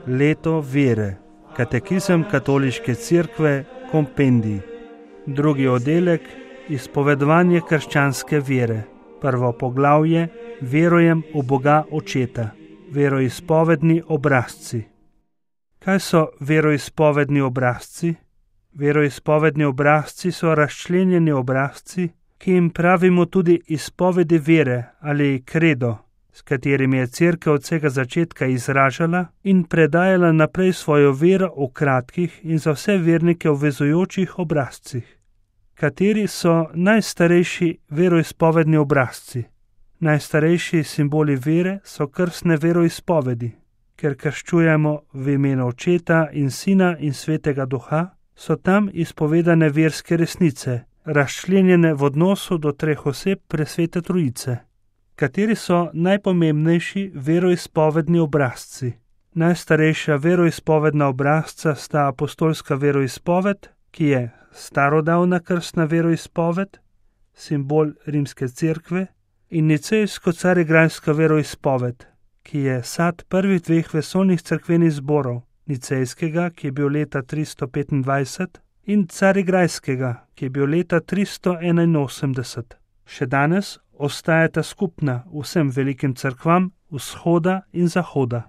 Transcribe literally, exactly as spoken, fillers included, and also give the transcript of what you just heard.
Leto vere. Katekizem Katoliške cerkve, kompendij. Drugi oddelek, izpovedovanje krščanske vere. Prvo poglavje, verujem v Boga Očeta. Veroizpovedni obrazci. Kaj so veroizpovedni obrazci? Veroizpovedni obrazci so razčlenjeni obrazci, ki jim pravimo tudi izpovedi vere ali kredo, s katerimi je cerkev od vsega začetka izražala in predajala naprej svojo vero v kratkih in za vse vernike obvezujočih obrazcih. Kateri so najstarejši veroizpovedni obrazci? Najstarejši simboli vere so krstne veroizpovedi. Ker krščujemo v imenu Očeta in Sina in Svetega Duha, so tam izpovedane verske resnice, razčlenjene v odnosu do treh oseb Presvete Trojice. Kateri so najpomembnejši veroizpovedni obrazci? Najstarejša veroizpovedna obrazca sta apostolska veroizpoved, ki je starodavna krstna veroizpoved, simbol rimske cerkve, in nicejsko-carigrajska veroizpoved, ki je sad prvih dveh vesoljnih cerkvenih zborov, nicejskega, ki je bil leta tristo petindvajset, in carigrajskega, ki je bil leta tristo enainosemdeset. Še danes ostajata skupna vsem velikim cerkvam vzhoda in zahoda.